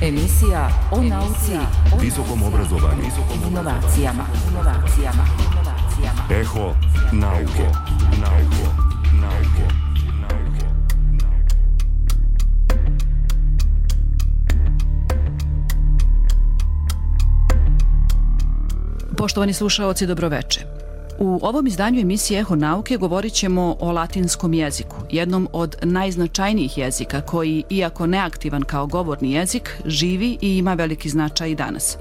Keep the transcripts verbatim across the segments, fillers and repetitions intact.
Emisija o nauci, visokom obrazovanju, inovacijama, inovacijama, inovacijama. Eho nauke, nauke, nauke, nauke. Poštovani slušaoci, dobroveče. U ovom izdanju emisije Eho nauke govorit ćemo o latinskom jeziku, jednom od najznačajnijih jezika koji, iako neaktivan kao govorni jezik, živi i ima veliki značaj i danas.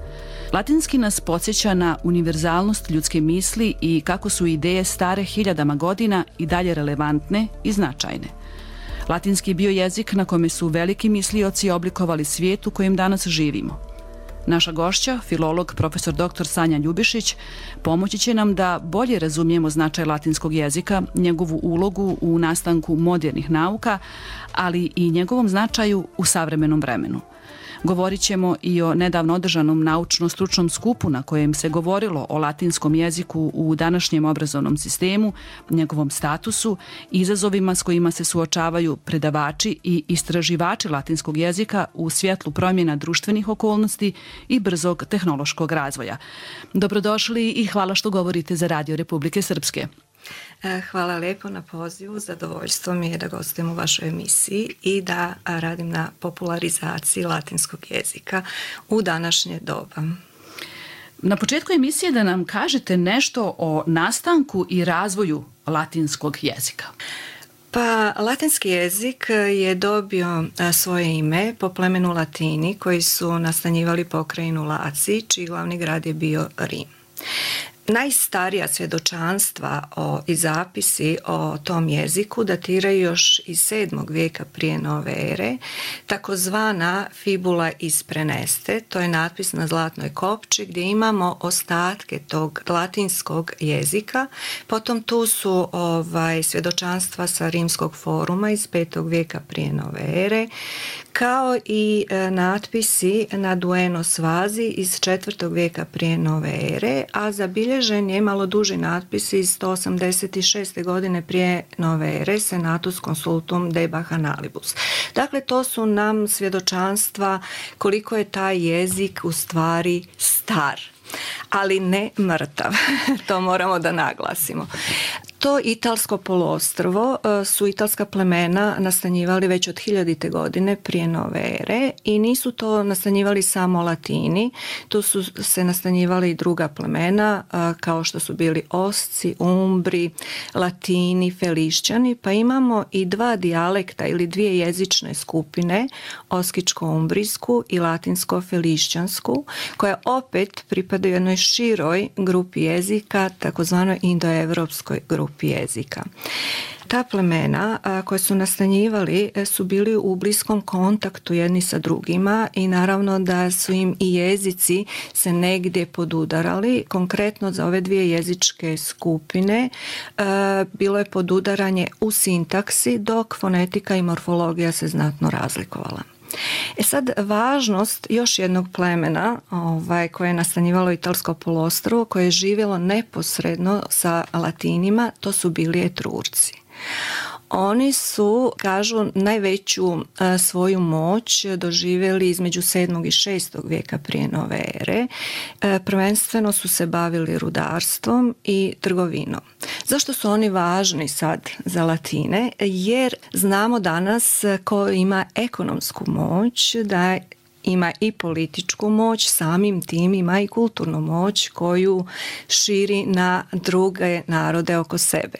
Latinski nas podsjeća na univerzalnost ljudske misli i kako su ideje stare hiljadama godina i dalje relevantne i značajne. Latinski je bio jezik na kome su veliki mislioci oblikovali svijet u kojem danas živimo. Naša gošća, filolog profesor doktor Sanja Ljubišić, pomoći će nam da bolje razumijemo značaj latinskog jezika, njegovu ulogu u nastanku modernih nauka, ali i njegovom značaju u savremenom vremenu. Govorit ćemo i o nedavno održanom naučno-stručnom skupu na kojem se govorilo o latinskom jeziku u današnjem obrazovnom sistemu, njegovom statusu, izazovima s kojima se suočavaju predavači i istraživači latinskog jezika u svjetlu promjena društvenih okolnosti i brzog tehnološkog razvoja. Dobrodošli i hvala što govorite za Radio Republike Srpske. Hvala lijepo na pozivu, zadovoljstvo mi je da gostujem u vašoj emisiji i da radim na popularizaciji latinskog jezika u današnje doba. Na početku emisije da nam kažete nešto o nastanku i razvoju latinskog jezika. Pa, latinski jezik je dobio svoje ime po plemenu Latini koji su nastanjivali pokrajinu Laciji, čiji glavni grad je bio Rim. Najstarija svjedočanstva o, i zapisi o tom jeziku datiraju još iz sedmog vijeka prije nove ere, takozvana fibula iz Preneste, to je natpis na zlatnoj kopči gdje imamo ostatke tog latinskog jezika. Potom tu su ovaj, svjedočanstva sa rimskog foruma iz petog vijeka prije nove ere, kao i e, natpisi na Buenos vazi iz četvrtog vijeka prije nove ere, a zabilježen je malo duži natpis iz sto osamdeset šeste godine prije nove ere, Senatus Consultum de Bacchanalibus. Dakle, to su nam svjedočanstva koliko je taj jezik u stvari star, ali ne mrtav. To moramo da naglasimo. To italsko poluostrvo su italska plemena nastanjivali već od hiljadite godine prije nove ere i nisu to nastanjivali samo Latini, tu su se nastanjivali i druga plemena kao što su bili Osci, Umbri, Latini, Felišćani, pa imamo i dva dijalekta ili dvije jezične skupine, oskičko-umbrijsku i latinsko-felišćansku, koja opet pripadaju jednoj široj grupi jezika, takozvanoj indoevropskoj grupi jezika. Ta plemena a, koje su nastanjivali su bili u bliskom kontaktu jedni sa drugima i naravno da su im i jezici se negdje podudarali. Konkretno za ove dvije jezičke skupine a, bilo je podudaranje u sintaksi, dok fonetika i morfologija se znatno razlikovala. E sad, važnost još jednog plemena ovaj, koje je nastanjivalo italsko poluostrvo, koje je živjelo neposredno sa Latinima, to su bili Etrurci. Oni su, kažu, najveću a, svoju moć doživjeli između sedmog i šestog vijeka prije nove ere. E, prvenstveno su se bavili rudarstvom i trgovinom. Zašto su oni važni sad za Latine? Jer znamo danas ko ima ekonomsku moć, da ima i političku moć, samim tim ima i kulturnu moć koju širi na druge narode oko sebe.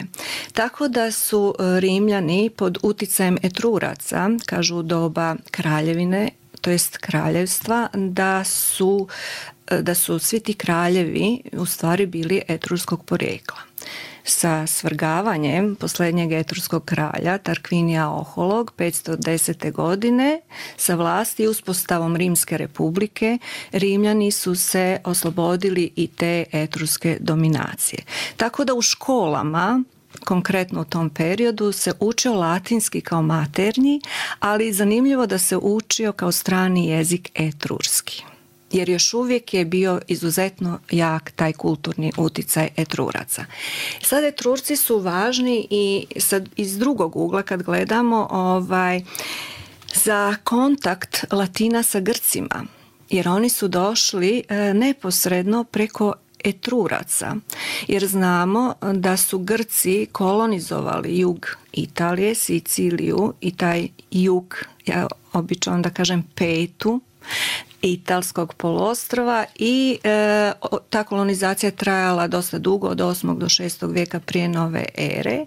Tako da su Rimljani pod uticajem Etruraca, kažu u doba kraljevine, to jest kraljevstva, da su, da su svi ti kraljevi u stvari bili etrurskog porijekla. Sa svrgavanjem posljednjeg etrurskog kralja Tarquinija Oholog petsto desete godine sa vlasti i uspostavom Rimske republike Rimljani su se oslobodili i te etruske dominacije. Tako da u školama, konkretno u tom periodu, se učio latinski kao maternji, ali zanimljivo da se učio kao strani jezik etrurski. Jer još uvijek je bio izuzetno jak taj kulturni uticaj Etruraca. Sad Etrurci su važni i sad iz drugog ugla kad gledamo, ovaj, za kontakt Latina sa Grcima, jer oni su došli neposredno preko Etruraca, jer znamo da su Grci kolonizovali jug Italije, Siciliju i taj jug, ja obično da kažem petu, Italskog poluostrva i e, ta kolonizacija je trajala dosta dugo, od osmog do šestog vijeka prije nove ere,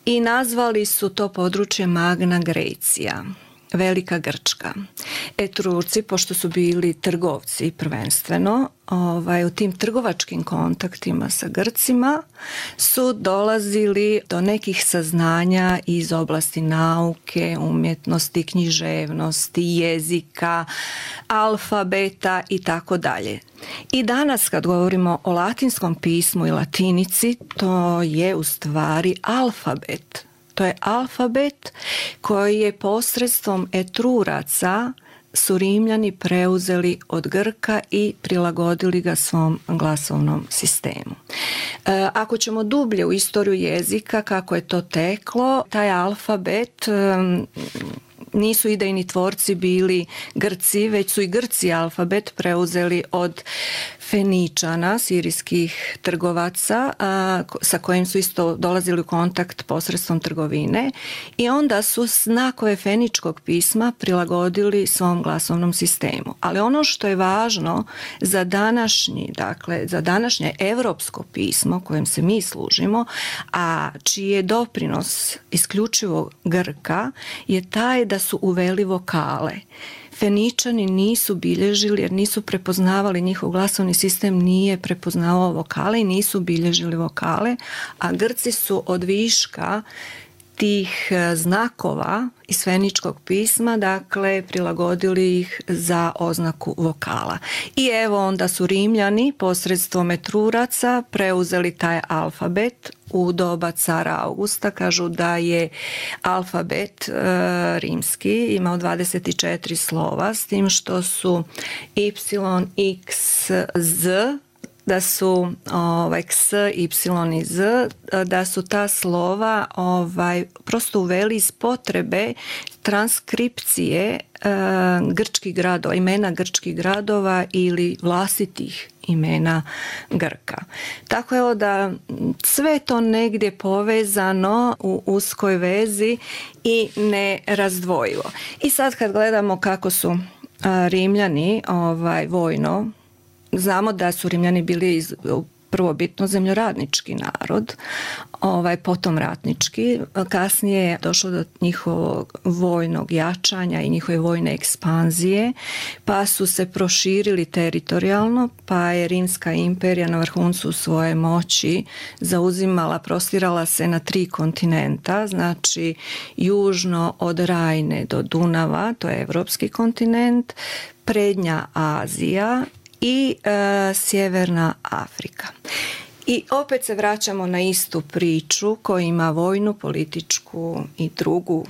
i nazvali su to područje Magna Grecia, Velika Grčka. Etrurci, pošto su bili trgovci prvenstveno, ovaj, u tim trgovačkim kontaktima sa Grcima su dolazili do nekih saznanja iz oblasti nauke, umjetnosti, književnosti, jezika, alfabeta i tako dalje. I danas kad govorimo o latinskom pismu i latinici, to je u stvari alfabet. To je alfabet koji je posredstvom Etruraca su Rimljani preuzeli od Grka i prilagodili ga svom glasovnom sistemu. E, ako ćemo dublje u istoriju jezika, kako je to teklo, taj alfabet e, nisu idejni tvorci bili Grci, već su i Grci alfabet preuzeli od Feničana, sirijskih trgovaca, a, sa kojim su isto dolazili u kontakt posredstvom trgovine, i onda su znakove feničkog pisma prilagodili svom glasovnom sistemu. Ali ono što je važno za današnji, dakle za današnje evropsko pismo kojem se mi služimo, a čiji je doprinos isključivo Grka, je taj da su uveli vokale. Feničani nisu bilježili jer nisu prepoznavali, njihov glasovni sistem nije prepoznavao vokale i nisu bilježili vokale, a Grci su od viška tih znakova iz feničkog pisma, dakle, prilagodili ih za oznaku vokala. I evo onda su Rimljani posredstvom Etruraca preuzeli taj alfabet u doba cara Augusta. Kažu da je alfabet e, rimski imao dvadeset četiri slova, s tim što su y, x, z, da su ovaj, ks, y i z, da su ta slova ovaj, prosto uveli iz potrebe transkripcije e, grčkih gradova, imena grčkih gradova ili vlastitih imena Grka. Tako je da sve to negdje povezano u uskoj vezi i nerazdvojivo. I sad kad gledamo kako su a, Rimljani ovaj, vojno, znamo da su Rimljani bili iz, prvobitno zemljoradnički narod, ovaj, potom ratnički. Kasnije je došlo do njihovog vojnog jačanja i njihove vojne ekspanzije, pa su se proširili teritorijalno, pa je Rimska imperija na vrhuncu svoje moći zauzimala, prostirala se na tri kontinenta, znači južno od Rajne do Dunava, to je evropski kontinent, prednja Azija i e, sjeverna Afrika. I opet se vraćamo na istu priču, koja ima vojnu, političku i drugu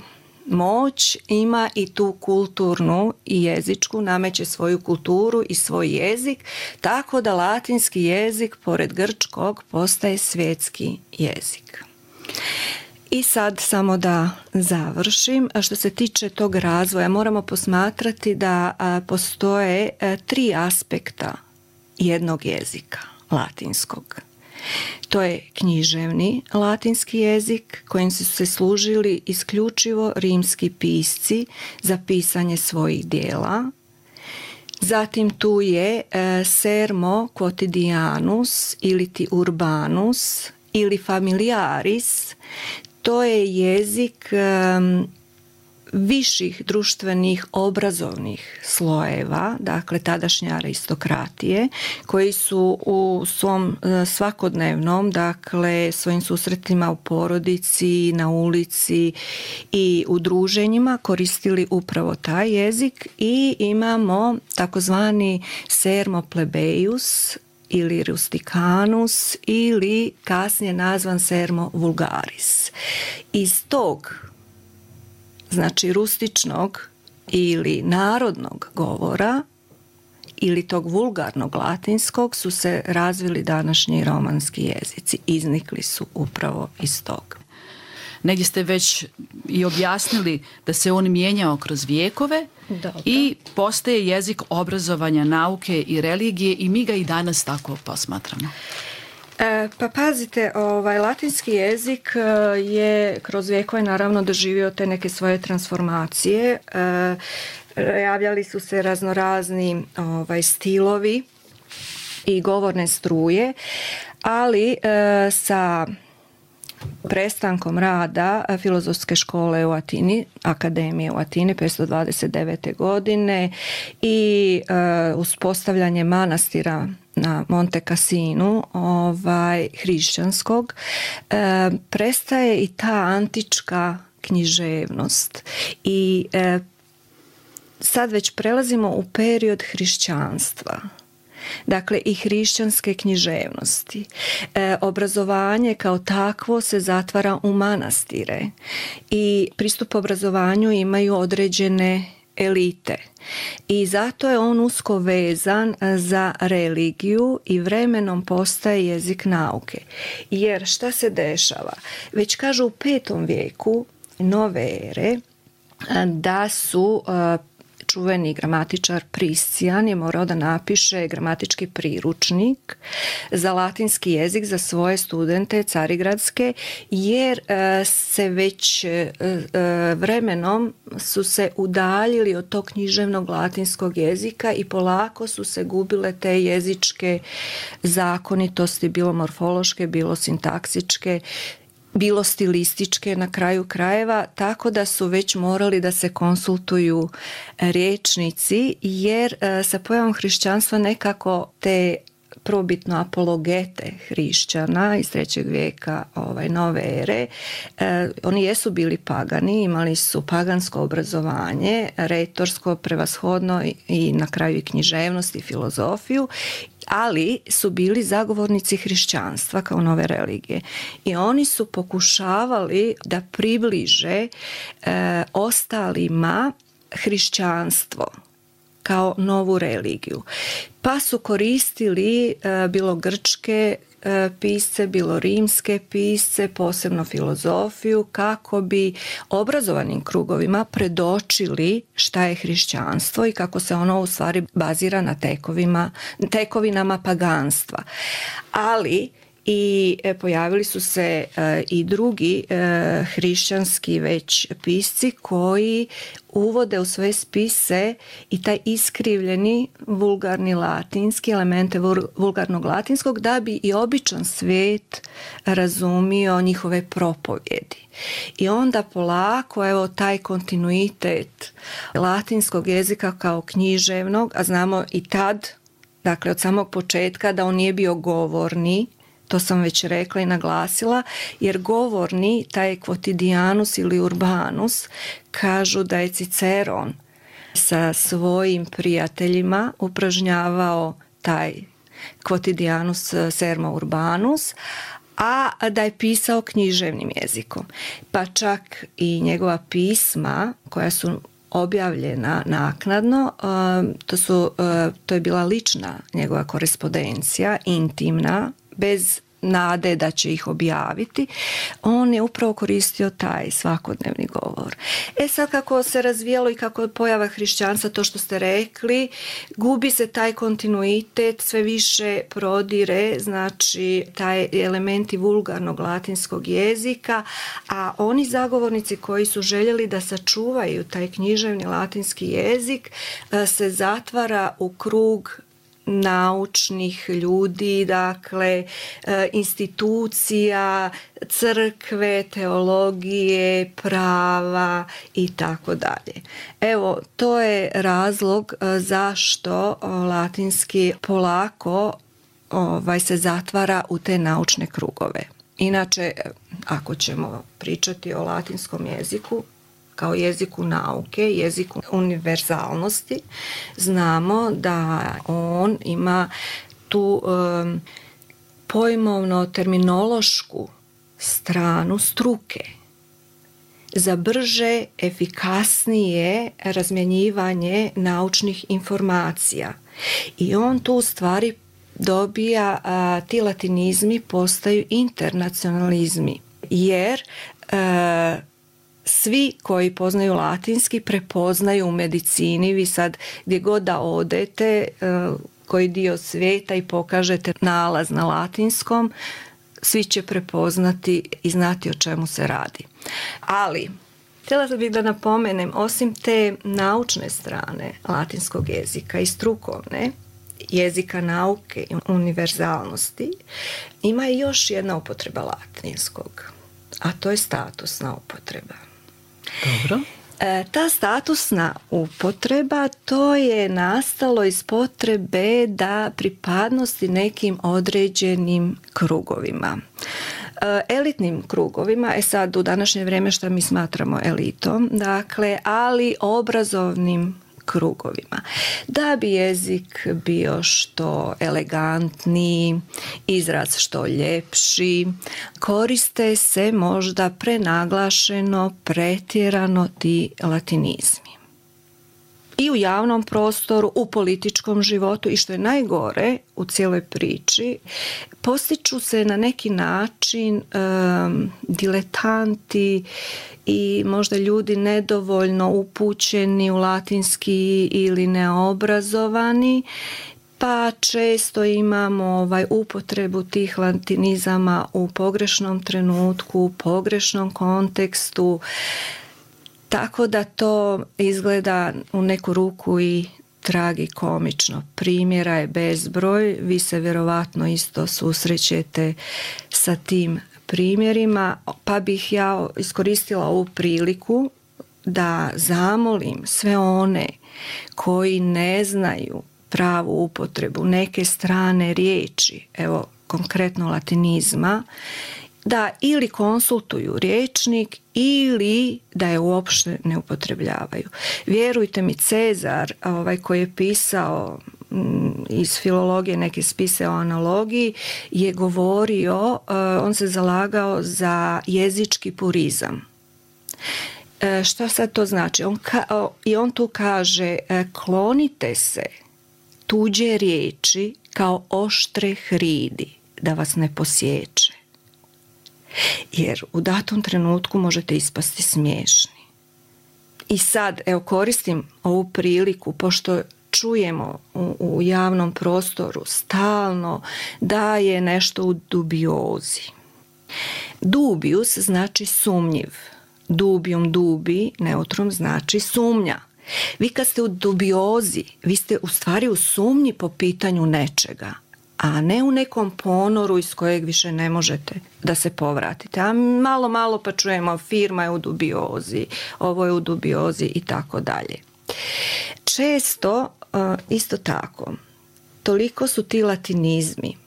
moć, ima i tu kulturnu i jezičku, nameće svoju kulturu i svoj jezik, tako da latinski jezik pored grčkog postaje svjetski jezik. I sad samo da završim, što se tiče tog razvoja, moramo posmatrati da postoje tri aspekta jednog jezika, latinskog. To je književni latinski jezik kojim su se služili isključivo rimski pisci za pisanje svojih dijela. Zatim tu je sermo quotidianus ili ti urbanus ili familiaris. To je jezik um, viših društvenih obrazovnih slojeva, dakle tadašnje aristokratije, koji su u svom svakodnevnom, dakle svojim susretima u porodici, na ulici i u druženjima koristili upravo taj jezik. I imamo takozvani sermo plebeius ili rusticanus ili kasnije nazvan sermo vulgaris. Iz tog, znači rustičnog ili narodnog govora ili tog vulgarnog latinskog su se razvili današnji romanski jezici. Iznikli su upravo iz toga. Negdje ste već i objasnili da se on mijenjao kroz vijekove. Dobro. I postaje jezik obrazovanja, nauke i religije i mi ga i danas tako posmatramo. E, pa pazite, ovaj, latinski jezik je kroz vijekove naravno doživio te neke svoje transformacije. E, javljali su se raznorazni ovaj, stilovi i govorne struje, ali e, sa prestankom rada filozofske škole u Atini, akademije u Atini petsto dvadeset devete godine i e, uspostavljanje manastira na Monte Cassinu, ovaj, hrišćanskog, e, prestaje i ta antička književnost i e, sad već prelazimo u period hrišćanstva. Dakle, i hrišćanske književnosti. E, obrazovanje kao takvo se zatvara u manastire i pristup obrazovanju imaju određene elite. I zato je on usko vezan za religiju i vremenom postaje jezik nauke. Jer šta se dešava? Već kažu u petom vijeku nove ere da su čuveni gramatičar Priscijan je morao da napiše gramatički priručnik za latinski jezik za svoje studente carigradske, jer se već vremenom su se udaljili od tog književnog latinskog jezika i polako su se gubile te jezičke zakonitosti, bilo morfološke, bilo sintaksičke, bilo stilističke na kraju krajeva, tako da su već morali da se konsultuju rječnici, jer sa pojavom hrišćanstva nekako te probitno apologete hrišćana iz trećeg vijeka ovaj, nove ere, e, oni jesu bili pagani, imali su pagansko obrazovanje, retorsko, prevashodno i, i na kraju i književnost i filozofiju, ali su bili zagovornici hrišćanstva kao nove religije. I oni su pokušavali da približe e, ostalima hrišćanstvo kao novu religiju. Pa su koristili e, bilo grčke e, pisce, bilo rimske pisce, posebno filozofiju, kako bi obrazovanim krugovima predočili šta je hrišćanstvo i kako se ono u stvari bazira na tekovima, tekovinama paganstva. Ali i pojavili su se e, i drugi e, hrišćanski već pisci koji uvode u svoje spise i taj iskrivljeni vulgarni latinski, elemente vulgarnog latinskog, da bi i običan svijet razumio njihove propovjedi. I onda polako, evo, taj kontinuitet latinskog jezika kao književnog, a znamo i tad, dakle od samog početka, da on nije bio govorni, to sam već rekla i naglasila, jer govorni, taj quotidianus ili urbanus, kažu da je Ciceron sa svojim prijateljima upražnjavao taj quotidianus sermo urbanus, a da je pisao književnim jezikom. Pa čak i njegova pisma koja su objavljena naknadno, to, su, to je bila lična njegova korespondencija, intimna, bez nade da će ih objaviti, on je upravo koristio taj svakodnevni govor. E sad, kako se razvijalo i kako je pojava hrišćanstva, to što ste rekli, gubi se taj kontinuitet, sve više prodire, znači taj elementi vulgarnog latinskog jezika, a oni zagovornici koji su željeli da sačuvaju taj književni latinski jezik se zatvara u krug naučnih ljudi, dakle institucija, crkve, teologije, prava i tako dalje. Evo, to je razlog zašto latinski polako ovaj, se zatvara u te naučne krugove. Inače, ako ćemo pričati o latinskom jeziku, kao jeziku nauke, jeziku univerzalnosti, znamo da on ima tu um, pojmovno-terminološku stranu struke za brže, efikasnije razmjenjivanje naučnih informacija. I on tu u stvari dobija, a, ti latinizmi postaju internacionalizmi, jer e, svi koji poznaju latinski prepoznaju u medicini. Vi sad gdje god da odete, koji dio svijeta i pokažete nalaz na latinskom, svi će prepoznati i znati o čemu se radi. Ali, htjela bih da napomenem, osim te naučne strane latinskog jezika i strukovne, jezika nauke i univerzalnosti, ima i još jedna upotreba latinskog, a to je statusna upotreba. Dobro. E, ta statusna upotreba, to je nastalo iz potrebe da pripadnosti nekim određenim krugovima. E, elitnim krugovima, e sad u današnje vrijeme što mi smatramo elitom, dakle, ali obrazovnim krugovima. Da bi jezik bio što elegantniji, izraz što ljepši, koriste se možda prenaglašeno, pretjerano ti latinizmi. I u javnom prostoru, u političkom životu i što je najgore u cijeloj priči, postiču se na neki način um, diletanti i možda ljudi nedovoljno upućeni u latinski ili neobrazovani, pa često imamo ovaj upotrebu tih latinizama u pogrešnom trenutku, u pogrešnom kontekstu, tako da to izgleda u neku ruku i tragikomično. Primjera je bezbroj, vi se vjerovatno isto susrećete sa tim primjerima, pa bih ja iskoristila ovu priliku da zamolim sve one koji ne znaju pravu upotrebu neke strane riječi, evo konkretno latinizma, da ili konsultuju rječnik ili da je uopšte ne upotrebljavaju. Vjerujte mi, Cezar, ovaj, koji je pisao iz filologije neke spise o analogiji, je govorio, on se zalagao za jezički purizam. Šta sad to znači? On ka, i on tu kaže, klonite se tuđe riječi kao oštre hridi, da vas ne posječe. Jer u datom trenutku možete ispasti smiješni. I sad, evo, koristim ovu priliku, pošto čujemo u, u javnom prostoru stalno da je nešto u dubiozi. Dubius znači sumnjiv. Dubium dubi, neutrum, znači sumnja. Vi kad ste u dubiozi, vi ste u stvari u sumnji po pitanju nečega, a ne u nekom ponoru iz kojeg više ne možete da se povratite. A malo, malo pa čujemo firma je u dubiozi, ovo je u dubiozi i tako dalje. Često, isto tako, toliko su ti latinizmi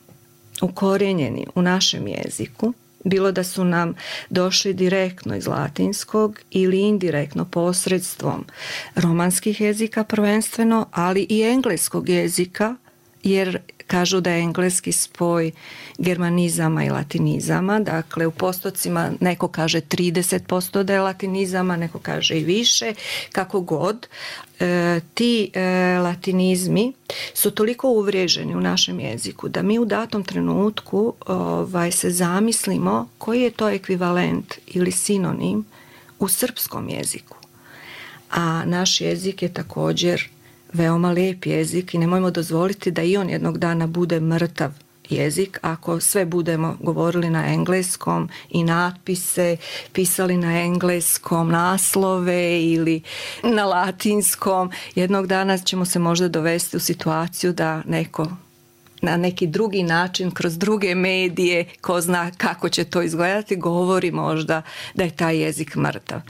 ukorijenjeni u našem jeziku, bilo da su nam došli direktno iz latinskog ili indirektno posredstvom romanskih jezika prvenstveno, ali i engleskog jezika, jer kažu da je engleski spoj germanizama i latinizama, dakle u postocima neko kaže trideset posto da je latinizama, neko kaže i više, kako god. E, ti e, latinizmi su toliko uvriježeni u našem jeziku da mi u datom trenutku ovaj, se zamislimo koji je to ekvivalent ili sinonim u srpskom jeziku. A naš jezik je također veoma lijep jezik i nemojmo dozvoliti da i on jednog dana bude mrtav jezik ako sve budemo govorili na engleskom i natpise pisali na engleskom, naslove ili na latinskom. Jednog dana ćemo se možda dovesti u situaciju da neko na neki drugi način, kroz druge medije, ko zna kako će to izgledati, govori možda da je taj jezik mrtav.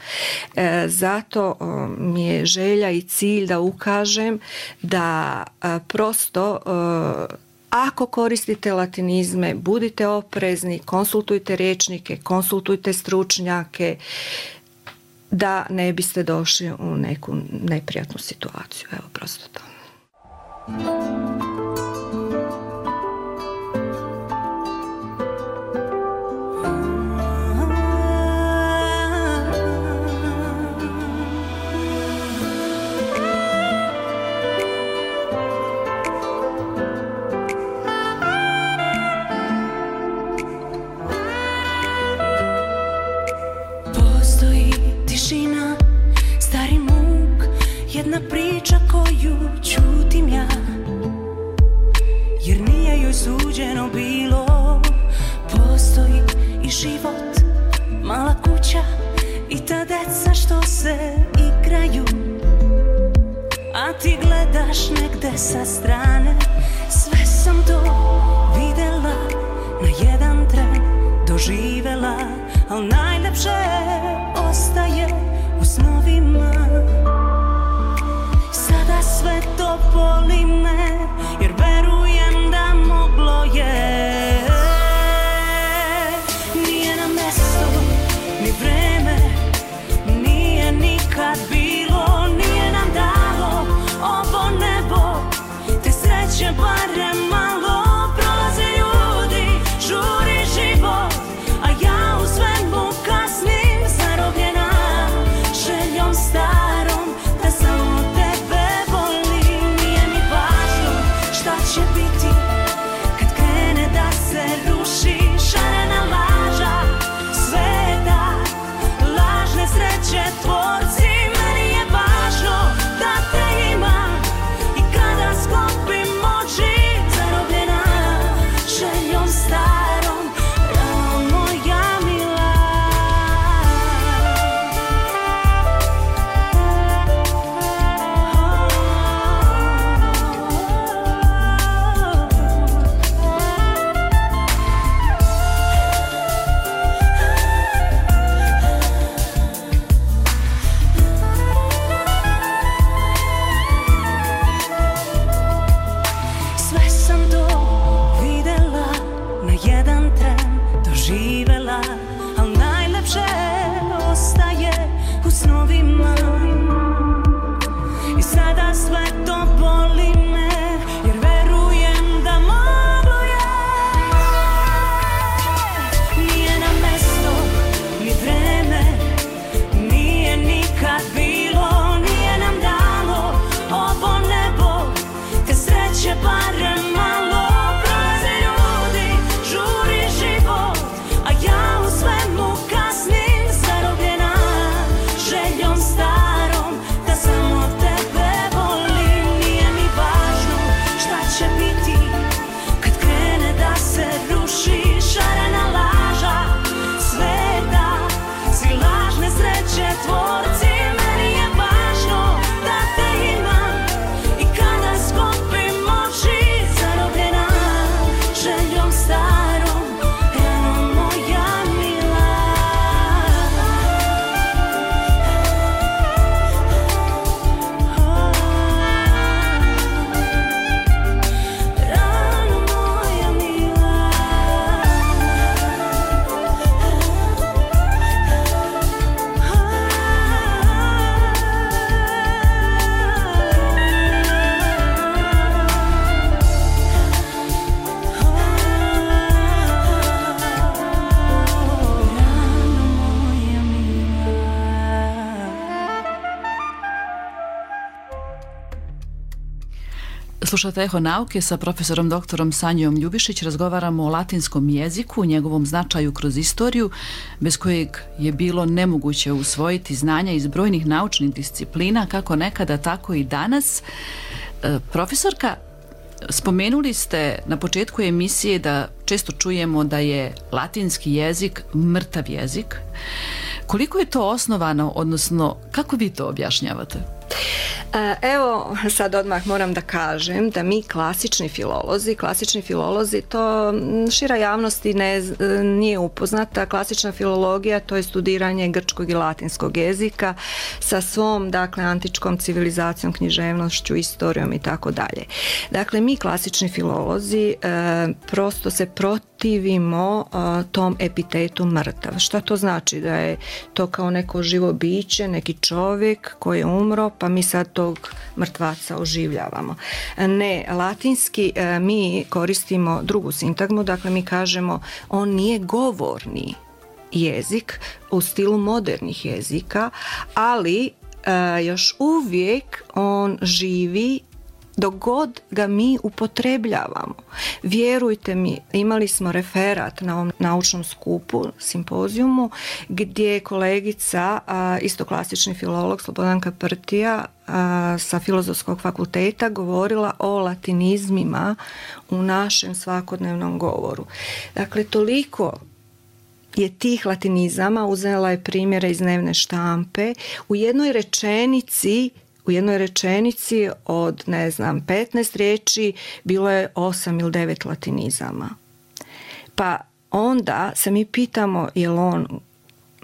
E, zato o, mi je želja i cilj da ukažem da a, prosto o, ako koristite latinizme, budite oprezni, konsultujte rječnike, konsultujte stručnjake, da ne biste došli u neku neprijatnu situaciju. Evo, prosto to. jedna priča koju čutim ja, jer nije joj suđeno bilo. Postoji i život, mala kuća i ta deca što se igraju, a ti gledaš negde sa strane. Sve sam to videla, na jedan tren doživela, al najlepše ostaje u snovima. Sada sve to boli me, jer verujem da moglo je. Nije na mesto ni vreme, nije nikad bilo, nije nam dalo ovo nebo, te sreće barem malo. Prolaze ljudi, žuri život, a ja u svemu kasnim, zarobljena željom starom da samo tebe volim. Nije mi važno šta će biti kad krene da se ruši šarena laža sveta, lažne sreće tvorci. Meni je važno da te imam i kada sklopim oči, zarobljena željom starom, rano moja mila. Sve sam to videla, na jedan tren doživela, al najlepše ostaje u snovima. I sada sve to boli me, jer verujem da moglo je. Nije na mesto ni vreme, nije nikad bilo, nije nam dalo ovo nebo, te sreće barem malo. Prolaze ljudi, žuri život, a ja u svemu kasnim, zarobljena željom starom da samo tebe volim. Nije mi važno šta će biti kad krene da se ruši šarena laža sveta, svi lažne sreće tvorci. Meni je važno da te imam i kada sklopim oči, zarobljena željom starom, rano moja mila. Rano moja mila. Slušate Eho nauke sa profesorom doktorom Sanjom Ljubišić. Razgovaramo o latinskom jeziku, njegovom značaju kroz istoriju, bez kojeg je bilo nemoguće usvojiti znanja iz brojnih naučnih disciplina, kako nekada, tako i danas. E, profesorka, spomenuli ste na početku emisije da često čujemo da je latinski jezik mrtav jezik. Koliko je to osnovano, odnosno kako vi to objašnjavate? Evo, sad odmah moram da kažem da mi klasični filolozi, klasični filolozi, to šira javnosti ne, nije upoznata. Klasična filologija, to je studiranje grčkog i latinskog jezika sa svom, dakle, antičkom civilizacijom, književnošću, istorijom i tako dalje. Dakle, mi klasični filolozi e, prosto se protivimo e, tom epitetu mrtav. Šta to znači? Da je to kao neko živo biće, neki čovjek koji je umro, pa mi sad tog mrtvaca oživljavamo. Ne, latinski mi koristimo drugu sintagmu, dakle mi kažemo on nije govorni jezik u stilu modernih jezika, ali još uvijek on živi dok god ga mi upotrebljavamo. Vjerujte mi, imali smo referat na ovom naučnom skupu, simpozijumu, gdje je kolegica, a, isto klasični filolog Slobodanka Prtija a, sa Filozofskog fakulteta govorila o latinizmima u našem svakodnevnom govoru. Dakle, toliko je tih latinizama, uzela je primjere iz dnevne štampe, u jednoj rečenici U jednoj rečenici od, ne znam, petnaest riječi bilo je osam ili devet latinizama. Pa onda se mi pitamo je li on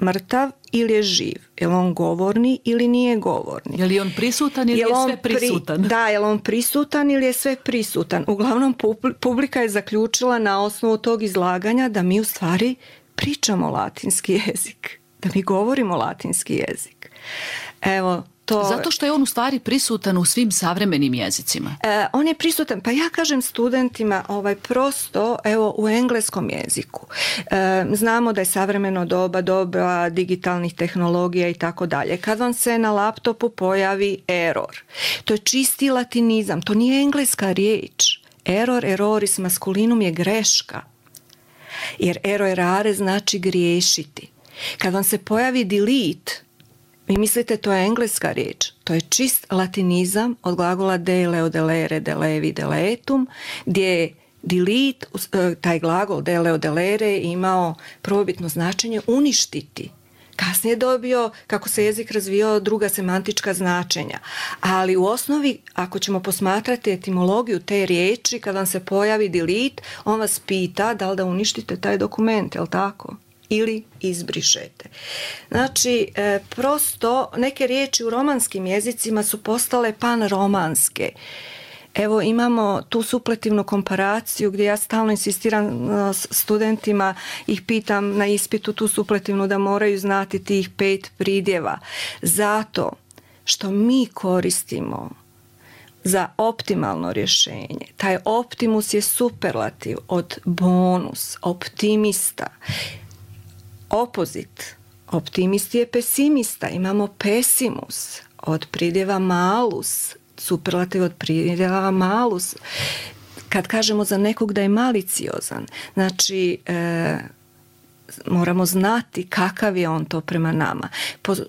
mrtav ili je živ? Je li on govorni ili nije govorni? Je li on prisutan ili je, je sve prisutan? Pri, da, je li on prisutan ili je sve prisutan? Uglavnom, publika je zaključila na osnovu tog izlaganja da mi u stvari pričamo latinski jezik. Da mi govorimo latinski jezik. Evo, to... Zato što je on u stvari prisutan u svim savremenim jezicima. E, on je prisutan, pa ja kažem studentima ovaj, prosto evo u engleskom jeziku. E, znamo da je savremeno doba, doba digitalnih tehnologija i tako dalje. Kad vam se na laptopu pojavi error, to je čisti latinizam, to nije engleska riječ. Error, erroris maskulinum je greška. Jer errorare znači griješiti. Kad vam se pojavi delete, vi mislite to je engleska riječ, to je čist latinizam od glagola deleo, delere, delevi, deletum, gdje je delete, taj glagol deleo, delere imao prvobitno značenje uništiti. Kasnije je dobio, kako se jezik razvijao, druga semantička značenja. Ali u osnovi, ako ćemo posmatrati etimologiju te riječi, kad vam se pojavi delete, on vas pita da li da uništite taj dokument, je li tako? Ili izbrišete. Znači, e, prosto neke riječi u romanskim jezicima su postale panromanske. Evo imamo tu supletivnu komparaciju gdje ja stalno insistiram s studentima, ih pitam na ispitu tu supletivnu da moraju znati tih pet pridjeva. Zato što mi koristimo za optimalno rješenje. Taj optimus je superlativ od bonus, optimista. Opozit, optimist je pesimista, imamo pesimus od pridjeva malus, superlativ od pridjeva malus. Kad kažemo za nekog da je maliciozan, znači e, moramo znati kakav je on to prema nama.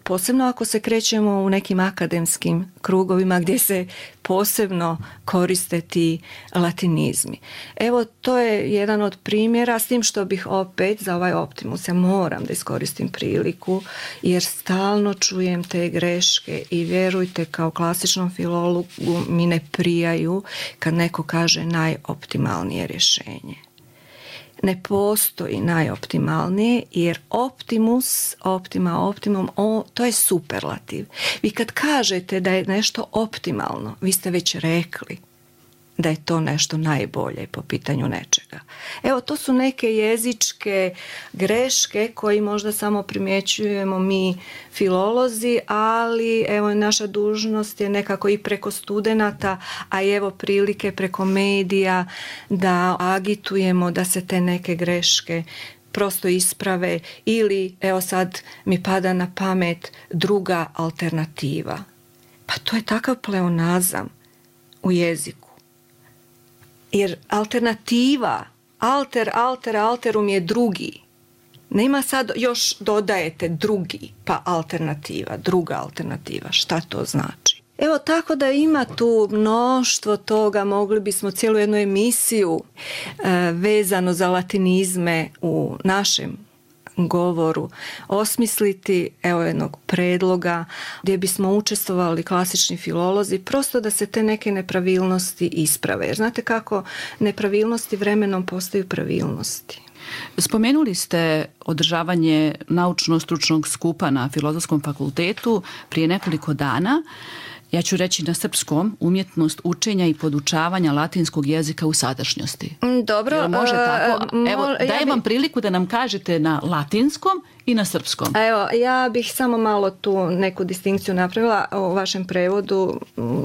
Posebno ako se krećemo u nekim akademskim krugovima gdje se posebno koriste ti latinizmi. Evo, to je jedan od primjera, s tim što bih opet za ovaj optimus, ja moram da iskoristim priliku, jer stalno čujem te greške i vjerujte, kao klasičnom filologu mi ne prijaju kad neko kaže najoptimalnije rješenje. Ne postoji najoptimalnije, jer optimus, optima, optimum, o, to je superlativ. Vi kad kažete da je nešto optimalno, vi ste već rekli da je to nešto najbolje po pitanju nečega. Evo, to su neke jezičke greške koji možda samo primjećujemo mi filolozi, ali evo naša dužnost je nekako i preko studenata, a evo prilike preko medija da agitujemo da se te neke greške prosto isprave, ili evo sad mi pada na pamet druga alternativa. Pa to je takav pleonazam u jeziku. Jer alternativa, alter, alter, alterum je drugi. Nema sad još dodajete drugi, pa alternativa, druga alternativa. Šta to znači? Evo, tako da ima tu mnoštvo toga, mogli bismo cijelu jednu emisiju e, vezano za latinizme u našem govoru osmisliti, evo jednog predloga gdje bismo učestvovali klasični filolozi, prosto da se te neke nepravilnosti isprave. Jer znate kako nepravilnosti vremenom postaju pravilnosti. Spomenuli ste održavanje naučno-stručnog skupa na Filozofskom fakultetu prije nekoliko dana. Ja ću reći na srpskom, umjetnost učenja i podučavanja latinskog jezika u sadašnjosti. Dobro. Jel može tako? Evo, mo, dajem ja bi... vam priliku da nam kažete na latinskom i na srpskom. Evo, ja bih samo malo tu neku distinkciju napravila u vašem prevodu.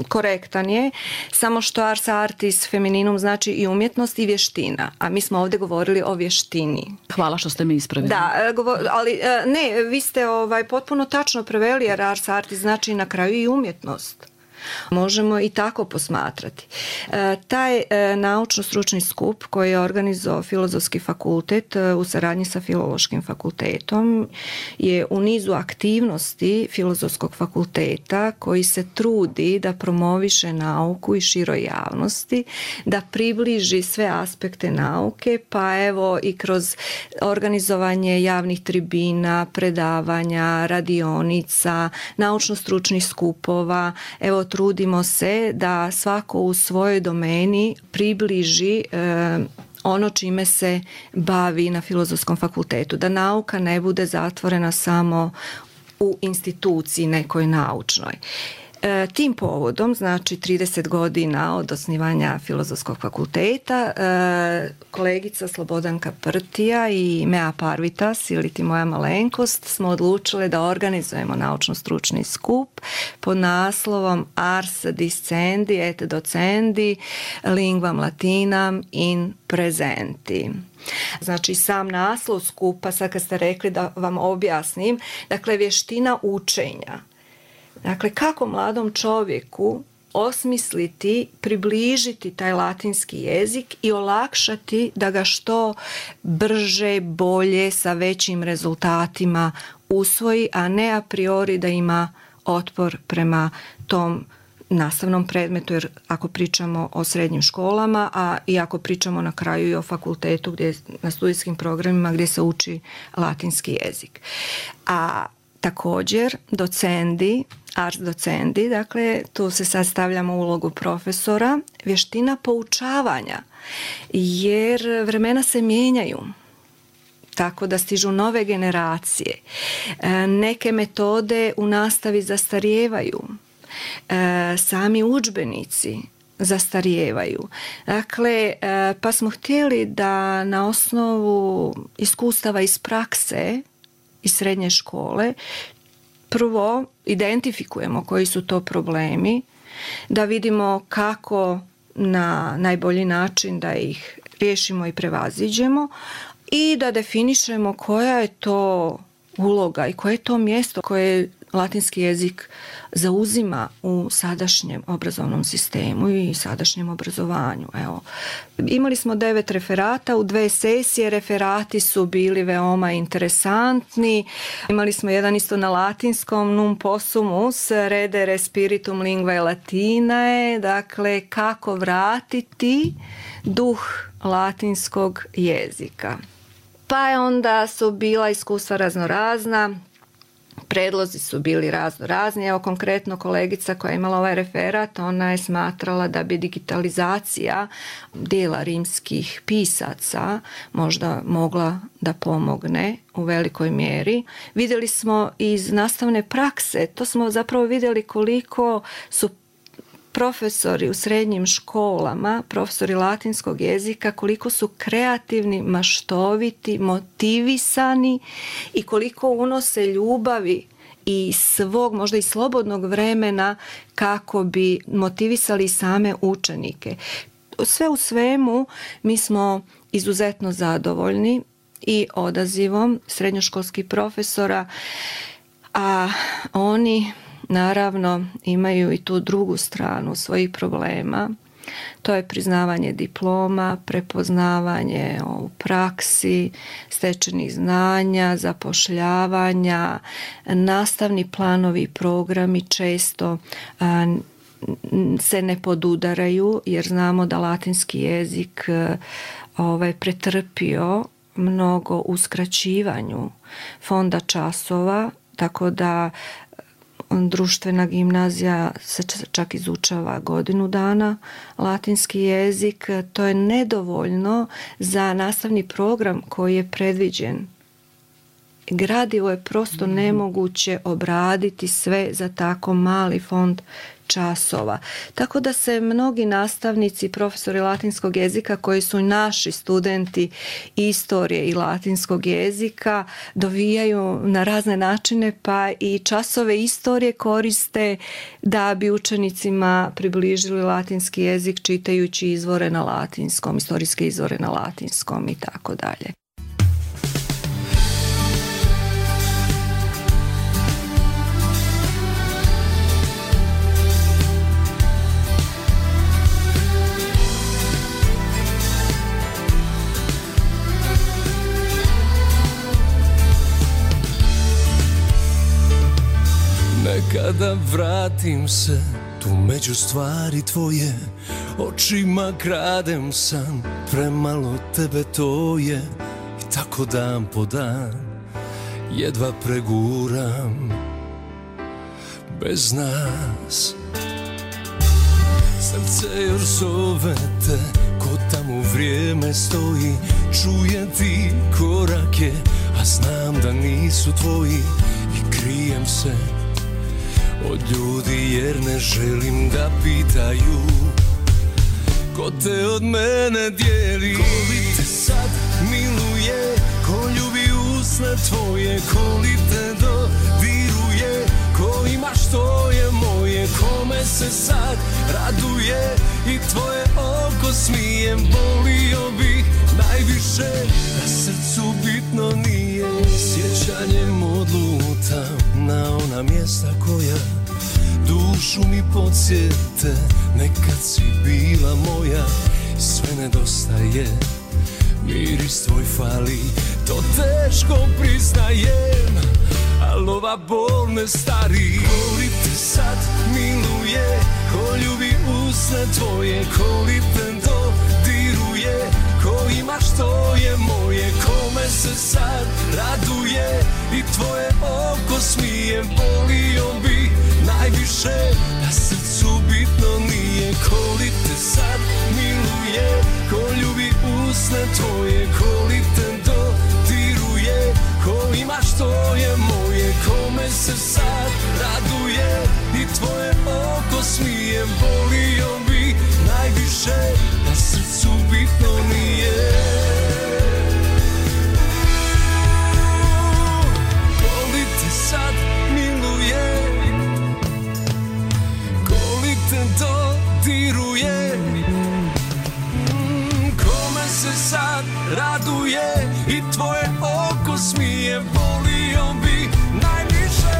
Korektan je, samo što ars artis femininum znači i umjetnost i vještina, a mi smo ovdje govorili o vještini. Hvala što ste me ispravili. Da, ali ne, vi ste ovaj potpuno tačno preveli, jer ars artis znači na kraju i umjetnost. Možemo i tako posmatrati. E, taj e, naučno-stručni skup koji je organizovao Filozofski fakultet e, u saradnji sa Filološkim fakultetom je u nizu aktivnosti Filozofskog fakulteta koji se trudi da promoviše nauku i široj javnosti, da približi sve aspekte nauke, pa evo i kroz organizovanje javnih tribina, predavanja, radionica, naučno-stručnih skupova. Evo, trudimo se da svako u svojoj domeni približi e, ono čime se bavi na Filozofskom fakultetu. Da nauka ne bude zatvorena samo u instituciji nekoj naučnoj. E, tim povodom, znači trideset godina od osnivanja Filozofskog fakulteta, e, kolegica Slobodanka Prtija i Mea Parvitas, ili ti moja malenkost, smo odlučile da organizujemo naučno-stručni skup pod naslovom Ars Discendi et Docendi Lingvam Latinam in Presenti. Znači, sam naslov skupa, sad kad ste rekli da vam objasnim, dakle, vještina učenja. Dakle, kako mladom čovjeku osmisliti, približiti taj latinski jezik i olakšati da ga što brže, bolje, sa većim rezultatima usvoji, a ne a priori da ima otpor prema tom nastavnom predmetu, jer ako pričamo o srednjim školama, a i ako pričamo na kraju i o fakultetu, gdje, na studijskim programima gdje se uči latinski jezik. A također docendi, ars docendi, dakle tu se sad stavljamo u ulogu profesora, vještina poučavanja, jer vremena se mijenjaju, tako da stižu nove generacije. Neke metode u nastavi zastarijevaju, sami udžbenici zastarijevaju. Dakle, pa smo htjeli da na osnovu iskustava iz prakse iz srednje škole prvo identifikujemo koji su to problemi, da vidimo kako na najbolji način da ih riješimo i prevaziđemo i da definišemo koja je to uloga i koje je to mjesto koje latinski jezik zauzima u sadašnjem obrazovnom sistemu i sadašnjem obrazovanju. Evo, imali smo devet referata u dve sesije, referati su bili veoma interesantni. Imali smo jedan isto na latinskom, num possumus, redere spiritum lingvae latinae, dakle kako vratiti duh latinskog jezika. Pa je onda su bila iskustva raznorazna, predlozi su bili razno razni. Evo konkretno kolegica koja je imala ovaj referat, ona je smatrala da bi digitalizacija dijela rimskih pisaca možda mogla da pomogne u velikoj mjeri. Vidjeli smo iz nastavne prakse, to smo zapravo vidjeli koliko su profesori u srednjim školama, profesori latinskog jezika, koliko su kreativni, maštoviti, motivisani i koliko unose ljubavi i svog, možda i slobodnog vremena kako bi motivisali same učenike. Sve u svemu mi smo izuzetno zadovoljni i odazivom srednjoškolskih profesora, a oni naravno imaju i tu drugu stranu svojih problema. To je priznavanje diploma, prepoznavanje u praksi, stečenih znanja, zapošljavanja, nastavni planovi i programi često a, se ne podudaraju, jer znamo da latinski jezik ovaj, pretrpio mnogo uskraćivanju fonda časova, tako da društvena gimnazija se čak izučava godinu dana latinski jezik. To je nedovoljno za nastavni program koji je predviđen. Gradivo je prosto nemoguće obraditi sve za tako mali fond časova. Tako da se mnogi nastavnici, profesori latinskog jezika koji su naši studenti istorije i latinskog jezika dovijaju na razne načine, pa i časove istorije koriste da bi učenicima približili latinski jezik čitajući izvore na latinskom, istorijske izvore na latinskom i tako dalje. da vratim se tu među stvari tvoje, očima kradem san, premalo tebe to je, i tako dan po dan jedva preguram bez nas. Srce još zove te, ko tamo vrijeme stoji, čuje ti korake, a znam da nisu tvoji, i krijem se od ljudi jer ne želim da pitaju ko te od mene dijeli. Ko li te sad miluje, ko ljubi usne tvoje, ko li te dodiruje, ko ima što je moje, kome se sad raduje i tvoje oko smije. Volio bih najviše da srcu bitno nije, sjećanjem odlutam na ona mjesta koja dušu mi podsjete, nekad si bila moja, sve nedostaje, miris tvoj fali, to teško priznajem, al ova bol ne stari. Ko li te sad miluje, ko ljubi usne tvoje, ko li te dodiruje, ko ima što je moje, kome se sad raduje i tvoje oko smije. Volio bih najviše da srcu bitno nije, ko li te sad miluje, ko ljubi usne tvoje, ko li te dodiruje, ko ima što je moje, kome se sad raduje i tvoje oko smije. Volio bih najviše da srcu bitno nije. Ko li te sad miluje, ko li te dodiruje, kome se sad raduje i tvoje oko smije. Volio bih najviše.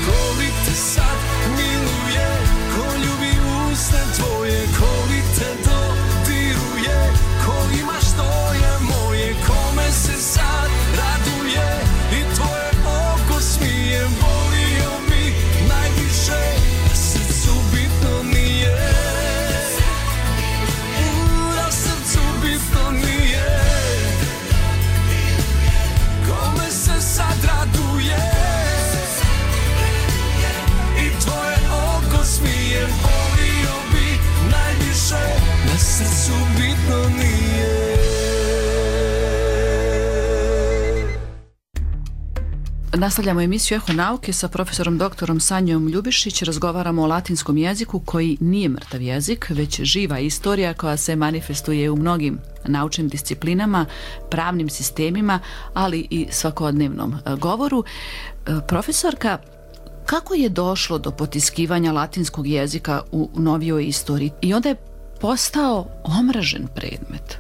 Ko li te sad miluje, ko ljubi usne tvoje, ko li te dodiruje, ko ima što je moje, kome se sad raduje i tvoje oko smije. Volio bih najviše da srcu bitno nije, da srcu bitno nije, kome se sad raduje i tvoje oko smije. Volio bih najviše da srcu bitno nije. Nastavljamo emisiju Eho nauke sa profesorom doktorom Sanjom Ljubišić. Razgovaramo o latinskom jeziku koji nije mrtav jezik, već živa istorija koja se manifestuje u mnogim naučnim disciplinama, pravnim sistemima, ali i svakodnevnom govoru. Profesorka, kako je došlo do potiskivanja latinskog jezika u novijoj istoriji i onda je postao omražen predmet?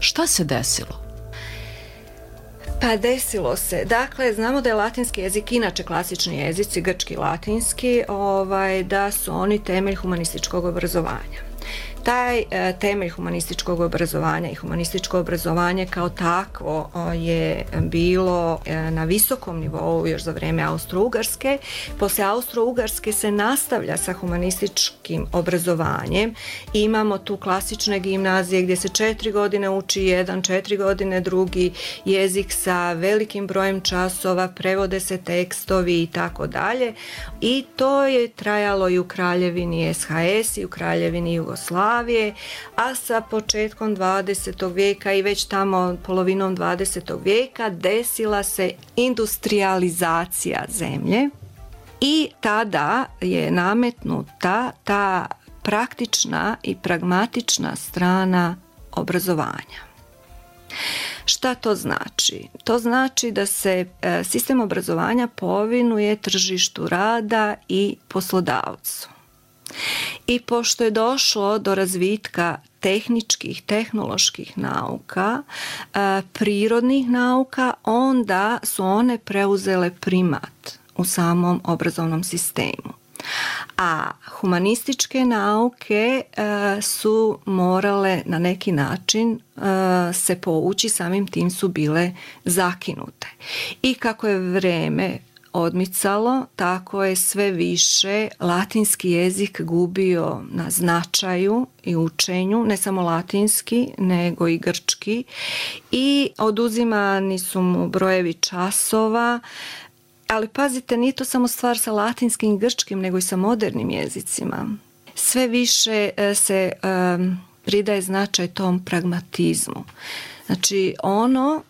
Šta se desilo? Pa desilo se. Dakle, znamo da je latinski jezik, inače klasični jezici, grčki, latinski, ovaj, da su oni temelj humanističkog obrazovanja. Taj e, temelj humanističkog obrazovanja i humanističko obrazovanje kao takvo o, je bilo e, na visokom nivou još za vrijeme Austro-Ugarske. Poslije Austro-Ugarske se nastavlja sa humanističkim obrazovanjem. Imamo tu klasične gimnazije gdje se četiri godine uči jedan, četiri godine drugi jezik sa velikim brojem časova, prevode se tekstovi i tako dalje. I to je trajalo i u Kraljevini S H S i u Kraljevini Jugoslavije, a sa početkom dvadesetog vijeka i već tamo polovinom dvadesetog vijeka desila se industrijalizacija zemlje i tada je nametnuta ta praktična i pragmatična strana obrazovanja. Šta to znači? To znači da se sistem obrazovanja povinuje tržištu rada i poslodavcu. I pošto je došlo do razvitka tehničkih, tehnoloških nauka, prirodnih nauka, onda su one preuzele primat u samom obrazovnom sistemu. A humanističke nauke su morale na neki način se povući, samim tim su bile zakinute. I kako je vrijeme odmicalo, tako je sve više latinski jezik gubio na značaju i učenju, ne samo latinski, nego i grčki, i oduzimani su mu brojevi časova. Ali pazite, nije to samo stvar sa latinskim i grčkim, nego i sa modernim jezicima. Sve više se um, pridaje značaj tom pragmatizmu. Znači ono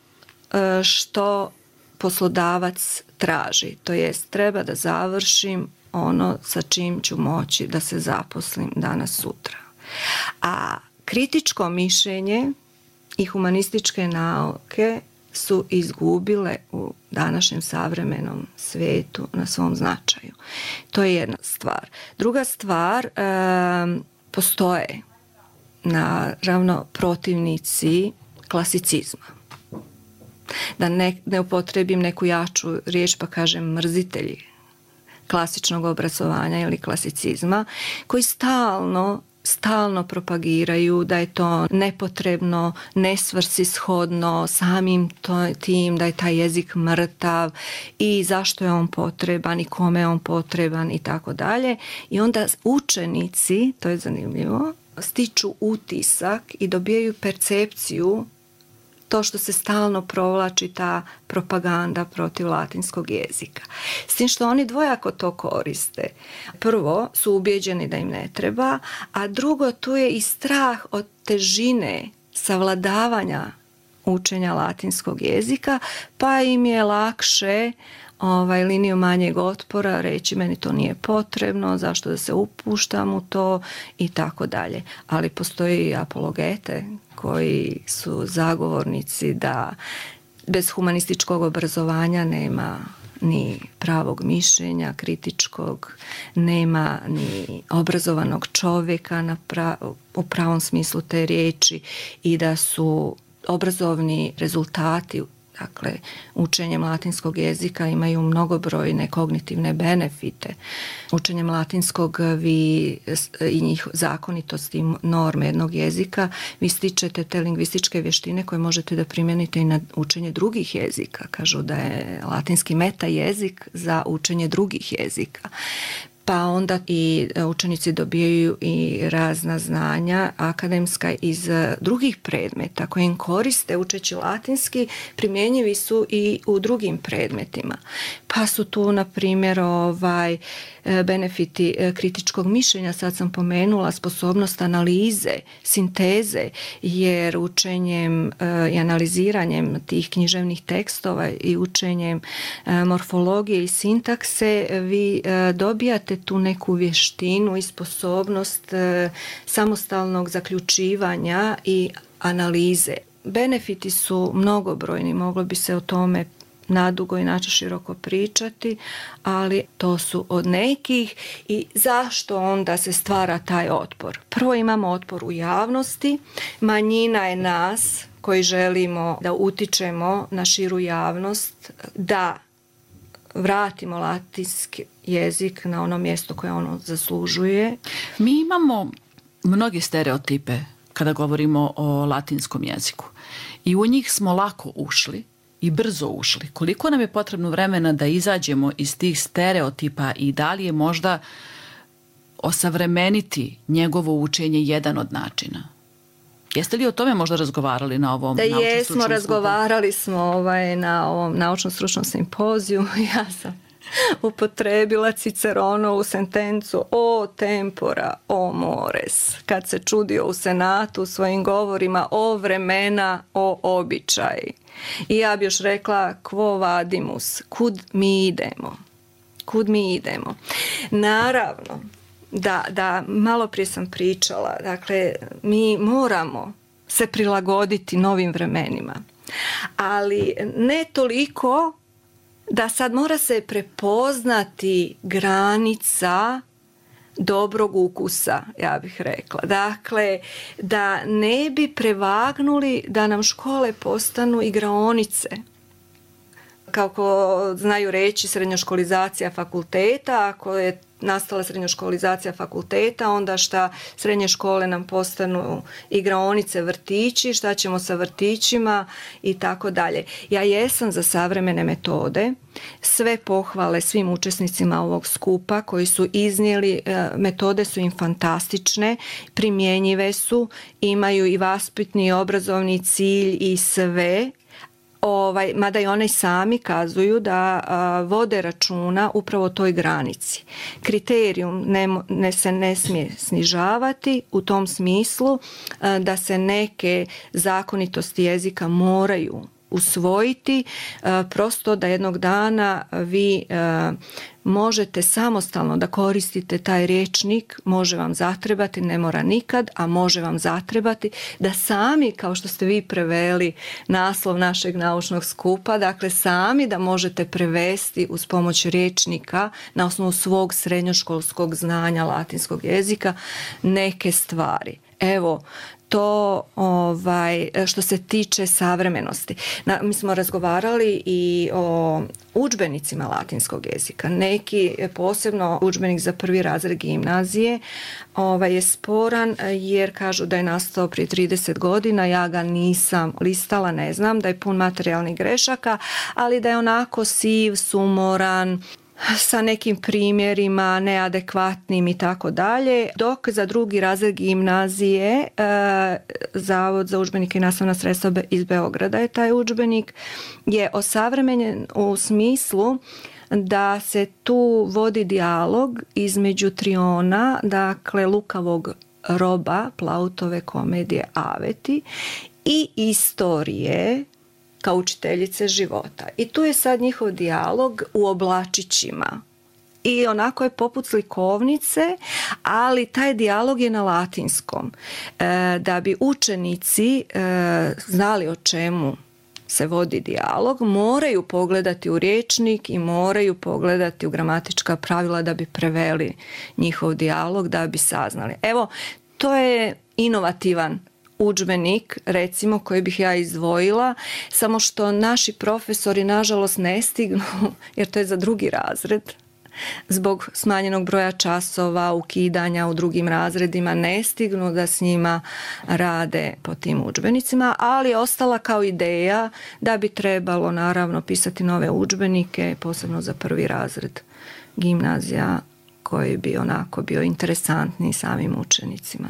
što poslodavac traži, to jest treba da završim ono sa čim ću moći da se zaposlim danas sutra. A kritičko mišljenje i humanističke nauke su izgubile u današnjem savremenom svijetu na svom značaju. To je jedna stvar. Druga stvar, postoje naravno protivnici klasicizma. Da ne, ne upotrebim neku jaču riječ pa kažem mrzitelji klasičnog obrazovanja ili klasicizma, koji stalno stalno propagiraju da je to nepotrebno, nesvrsishodno, samim to, tim da je taj jezik mrtav i zašto je on potreban i kome je on potreban i tako dalje. I onda učenici, to je zanimljivo, stiču utisak i dobijaju percepciju, to što se stalno provlači ta propaganda protiv latinskog jezika. S tim što oni dvojako to koriste. Prvo su ubijeđeni da im ne treba, a drugo tu je i strah od težine savladavanja učenja latinskog jezika, pa im je lakše ovaj, liniju manjeg otpora reći meni to nije potrebno, zašto da se upuštam u to i tako dalje. Ali postoji i apologete koji su zagovornici da bez humanističkog obrazovanja nema ni pravog mišljenja kritičkog, nema ni obrazovanog čovjeka na pra- u pravom smislu te riječi i da su obrazovni rezultati, dakle, učenjem latinskog jezika imaju mnogobrojne kognitivne benefite. Učenjem latinskog vi i njih zakonitosti norme jednog jezika vi stičete te lingvističke vještine koje možete da primijenite i na učenje drugih jezika. Kažu da je latinski meta jezik za učenje drugih jezika. Pa onda i učenici dobijaju i razna znanja akademska iz drugih predmeta koje im koriste učeći latinski, primjenjivi su i u drugim predmetima. Pa su tu, na primjer, ovaj, benefiti kritičkog mišljenja, sad sam pomenula, sposobnost analize, sinteze, jer učenjem i analiziranjem tih književnih tekstova i učenjem morfologije i sintakse vi dobijate tu neku vještinu i sposobnost samostalnog zaključivanja i analize. Benefiti su mnogobrojni, moglo bi se o tome nadugo i način široko pričati, ali to su od nekih. I zašto onda se stvara taj otpor? Prvo imamo otpor u javnosti, manjina je nas koji želimo da utičemo na širu javnost, da vratimo latinski jezik na ono mjesto koje ono zaslužuje. Mi imamo mnoge stereotipe kada govorimo o latinskom jeziku i u njih smo lako ušli i brzo ušli. Koliko nam je potrebno vremena da izađemo iz tih stereotipa i da li je možda osavremeniti njegovo učenje jedan od načina? Jeste li o tome možda razgovarali na ovom naučno-stručnom skupu? Da jesmo, razgovarali smo ovaj, na ovom naučno-stručnom simpoziju. Ja sam upotrebila Ciceronovu sentencu o tempora, o mores, kad se čudio u senatu u svojim govorima o vremena, o običaji. I ja bi još rekla quo vadimus, kud mi idemo, kud mi idemo. Naravno, da, da malo prije sam pričala, dakle, mi moramo se prilagoditi novim vremenima, ali ne toliko da sad mora se prepoznati granica dobrog ukusa, ja bih rekla. Dakle, da ne bi prevagnuli da nam škole postanu igraonice. Kako znaju reći, srednjoškolizacija fakulteta, ako je nastala srednjoškolizacija fakulteta, onda šta srednje škole nam postanu igraonice, vrtići, šta ćemo sa vrtićima i tako dalje. Ja jesam za savremene metode, sve pohvale svim učesnicima ovog skupa koji su iznijeli, metode su im fantastične, primjenjive su, imaju i vaspitni i obrazovni cilj i sve. Ovaj, mada i one sami kazuju da a, vode računa upravo o toj granici. Kriterijum ne, ne se ne smije snižavati u tom smislu a, da se neke zakonitosti jezika moraju usvojiti, a, prosto da jednog dana vi a, možete samostalno da koristite taj rječnik, može vam zatrebati, ne mora nikad, a može vam zatrebati da sami, kao što ste vi preveli naslov našeg naučnog skupa, dakle sami da možete prevesti uz pomoć rječnika na osnovu svog srednjoškolskog znanja latinskog jezika neke stvari. Evo, to ovaj, što se tiče savremenosti. Na, mi smo razgovarali i o udžbenicima latinskog jezika. Neki, posebno udžbenik za prvi razred gimnazije, ovaj, je sporan jer kažu da je nastao prije trideset godina, ja ga nisam listala, ne znam, da je pun materijalnih grešaka, ali da je onako siv, sumoran, sa nekim primjerima neadekvatnim i tako dalje, dok za drugi razred gimnazije e, Zavod za udžbenike i nastavna sredstva iz Beograda je taj udžbenik je osavremenjen u smislu da se tu vodi dijalog između triona, dakle lukavog roba Plautove komedije Aveti i istorije kao učiteljice života. I tu je sad njihov dijalog u oblačićima. I onako je poput slikovnice, ali taj dijalog je na latinskom. E, da bi učenici e, znali o čemu se vodi dijalog, moraju pogledati u rječnik i moraju pogledati u gramatička pravila da bi preveli njihov dijalog, da bi saznali. Evo, to je inovativan udžbenik, recimo, koji bih ja izdvojila, samo što naši profesori nažalost ne stignu, jer to je za drugi razred, zbog smanjenog broja časova, ukidanja u drugim razredima, ne stignu da s njima rade po tim udžbenicima, ali je ostala kao ideja da bi trebalo naravno pisati nove udžbenike, posebno za prvi razred gimnazija, koji bi onako bio interesantni samim učenicima.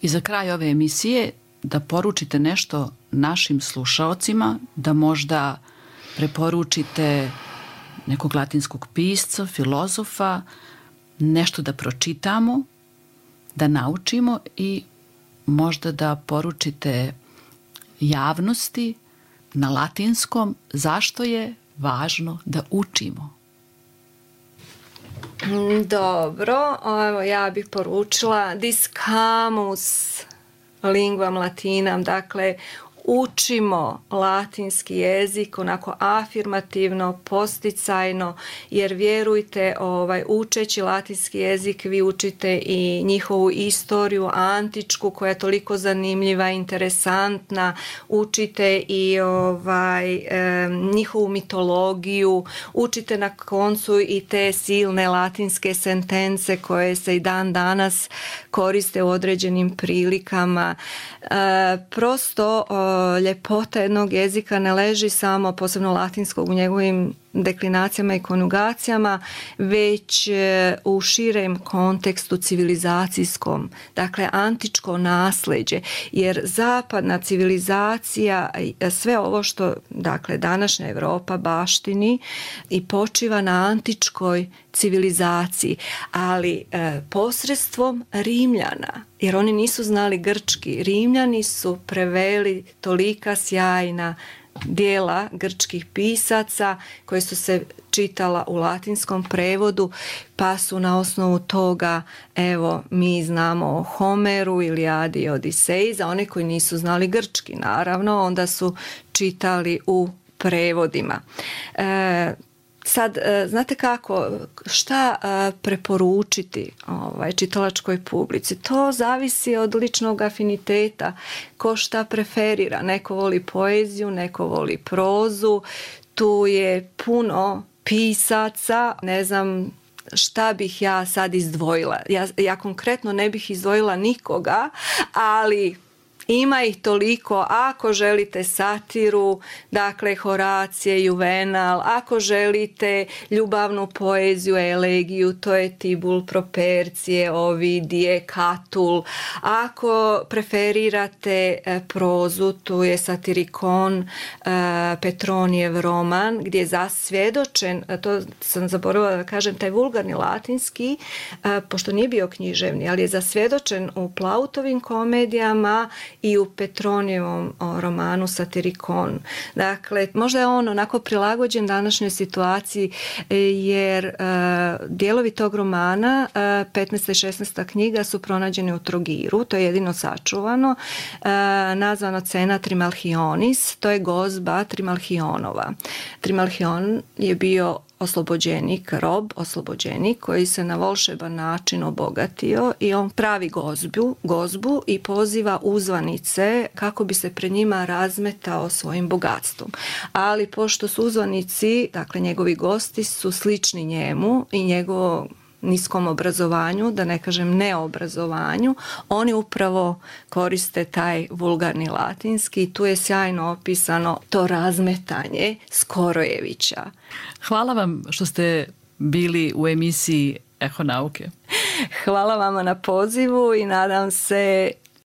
I za kraj ove emisije da poručite nešto našim slušaocima, da možda preporučite nekog latinskog pisca, filozofa, nešto da pročitamo, da naučimo i možda da poručite javnosti na latinskom zašto je važno da učimo. Dobro, evo ja bih poručila discamus linguam latinam, dakle učimo latinski jezik onako afirmativno, posticajno, jer vjerujte, ovaj, učeći latinski jezik vi učite i njihovu istoriju antičku koja je toliko zanimljiva, interesantna, učite i ovaj, e, njihovu mitologiju, učite na koncu i te silne latinske sentence koje se i dan danas koriste u određenim prilikama. E, prosto o, ljepota jednog jezika ne leži samo, posebno latinskog, u njegovim deklinacijama i konjugacijama, već u širem kontekstu civilizacijskom, dakle antičko nasleđe, jer zapadna civilizacija, sve ovo što dakle današnja Europa baštini i počiva na antičkoj civilizaciji, ali e, posredstvom Rimljana, jer oni nisu znali grčki. Rimljani su preveli tolika sjajna dijela grčkih pisaca koje su se čitala u latinskom prevodu, pa su na osnovu toga, evo, mi znamo o Homeru, Ilijadi i Odiseji. Za one koji nisu znali grčki, naravno, onda su čitali u prevodima. E, Sad, znate kako, šta preporučiti ovaj, čitalačkoj publici? To zavisi od ličnog afiniteta, ko šta preferira. Neko voli poeziju, neko voli prozu, tu je puno pisaca, ne znam, šta bih ja sad izdvojila. Ja, ja konkretno ne bih izdvojila nikoga, ali ima ih toliko. Ako želite satiru, dakle Horacije, Juvenal, ako želite ljubavnu poeziju, elegiju, to je Tibul, Propercije, Ovidije, Katul. Ako preferirate prozu, tu je Satirikon, Petronijev roman, gdje je zasvjedočen, to sam zaboravila da kažem, taj vulgarni latinski, pošto nije bio književni, ali je zasvjedočen u Plautovim komedijama i u Petronijevom romanu Satirikon. Dakle, možda je on onako prilagođen današnjoj situaciji, jer uh, dijelovi tog romana, uh, petnaesta i šesnaesta knjiga, su pronađeni u Trogiru, to je jedino sačuvano, uh, nazvano Cena Trimalchionis, to je gozba Trimalchionova. Trimalchion je bio oslobođenik, rob, oslobođenik koji se na volšeban način obogatio i on pravi gozbu, gozbu i poziva uzvanice kako bi se pred njima razmetao svojim bogatstvom. Ali pošto su uzvanici, dakle njegovi gosti, su slični njemu i njegovo niskom obrazovanju, da ne kažem neobrazovanju, oni upravo koriste taj vulgarni latinski i tu je sjajno opisano to razmetanje Skorojevića. Hvala vam što ste bili u emisiji Eho nauke. Hvala vama na pozivu i nadam se